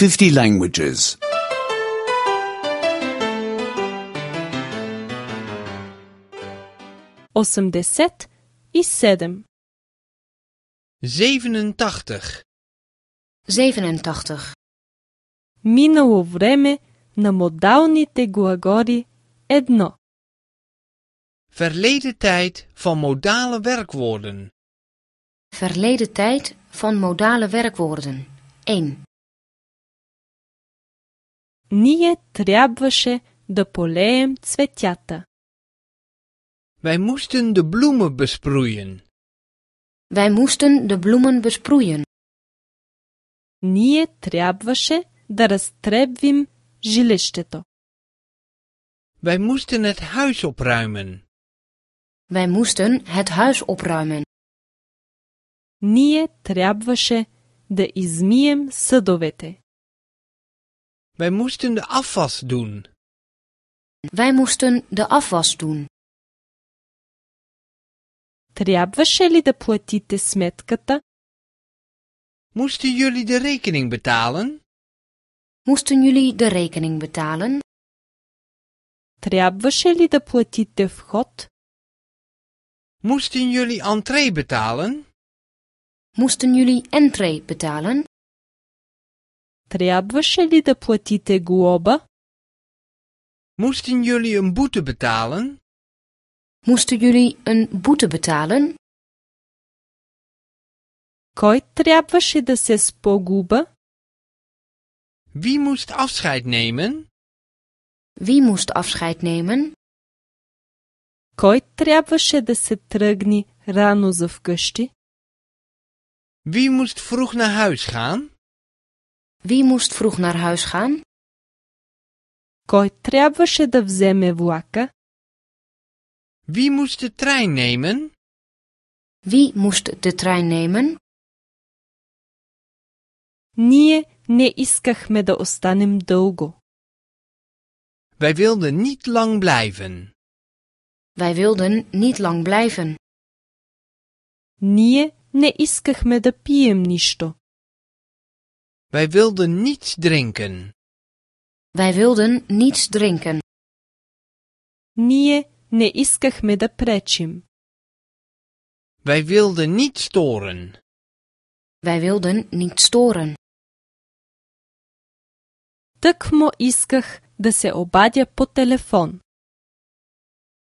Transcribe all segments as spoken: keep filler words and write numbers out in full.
fifty languages. осемдесет и седем. zevenentachtig. zevenentachtig. Минало време на модалните глаголи едно. Verleden tijd van modale werkwoorden. Verleden tijd van modale werkwoorden. één. Ние трябваше да полеем цветята. Wij moesten de bloemen besproeien. Wij moesten de bloemen besproeien. Ние трябваше да разтребвим жилището. Wij moesten het huis opruimen. Wij moesten het huis opruimen. Ние трябваше да измием съдовете. Wij moesten de afwas doen. Wij moesten de afwas doen. Трябваше ли да платите сметката? Moesten jullie de rekening betalen? Moesten jullie de rekening betalen? Трябваше ли да платите вход? Moesten jullie entree betalen? Moesten jullie entree betalen? Трябваше ли да платите глоба? Moesten jullie een boete betalen? Moesten jullie een boete betalen? Кой трябваше да се спогуба? Wie moest afscheid nemen? Wie moest afscheid nemen? Кой трябваше да се тръгне рано за вкъщи? Wie moest vroeg naar huis gaan? Wie moest vroeg naar huis gaan? Кой трябваше да вземе влака? Wie moest de trein nemen? Wie moest de trein nemen? Ние не искахме да останем дълго. Wij wilden niet lang blijven. Wij wilden niet lang blijven. Ние не искахме да пием нищо. Wij wilden niets drinken. Wij wilden niets drinken. Ние не искахме да пречим. Wij wilden niet storen. Wij wilden niet storen. Тъкмо исках да се обадя по телефон.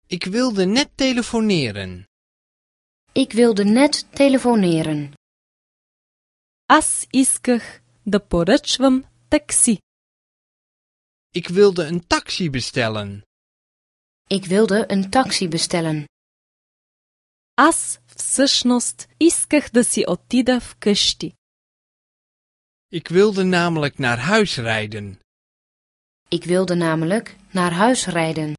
Ik wilde net telefoneren. Ik wilde net telefoneren. Аз исках да поръчвам такси. Ik wilde een taxi bestellen. Ik wilde een taxi bestellen. Аз всъщност исках да си отида вкъщи. Ik wilde namelijk naar huis rijden. Ik wilde namelijk naar huis rijden.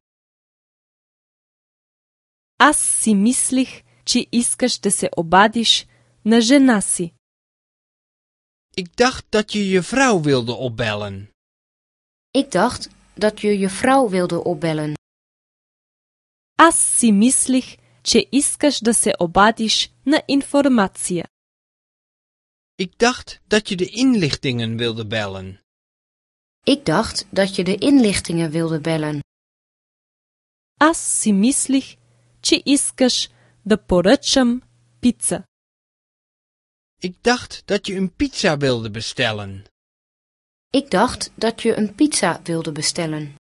Аз си мислих, че искаш да се обадиш на жена си. Ik dacht dat je je vrouw wilde opbellen. Ik dacht dat je je vrouw wilde opbellen. Аз си мислих, че искаш да се обадиш на информация. Ik dacht dat je de inlichtingen wilde bellen. Ik dacht dat je de inlichtingen wilde bellen. Аз си мислих, че искаш да поръчам пица. Ik dacht dat je een pizza wilde bestellen. Ik dacht dat je een pizza wilde bestellen.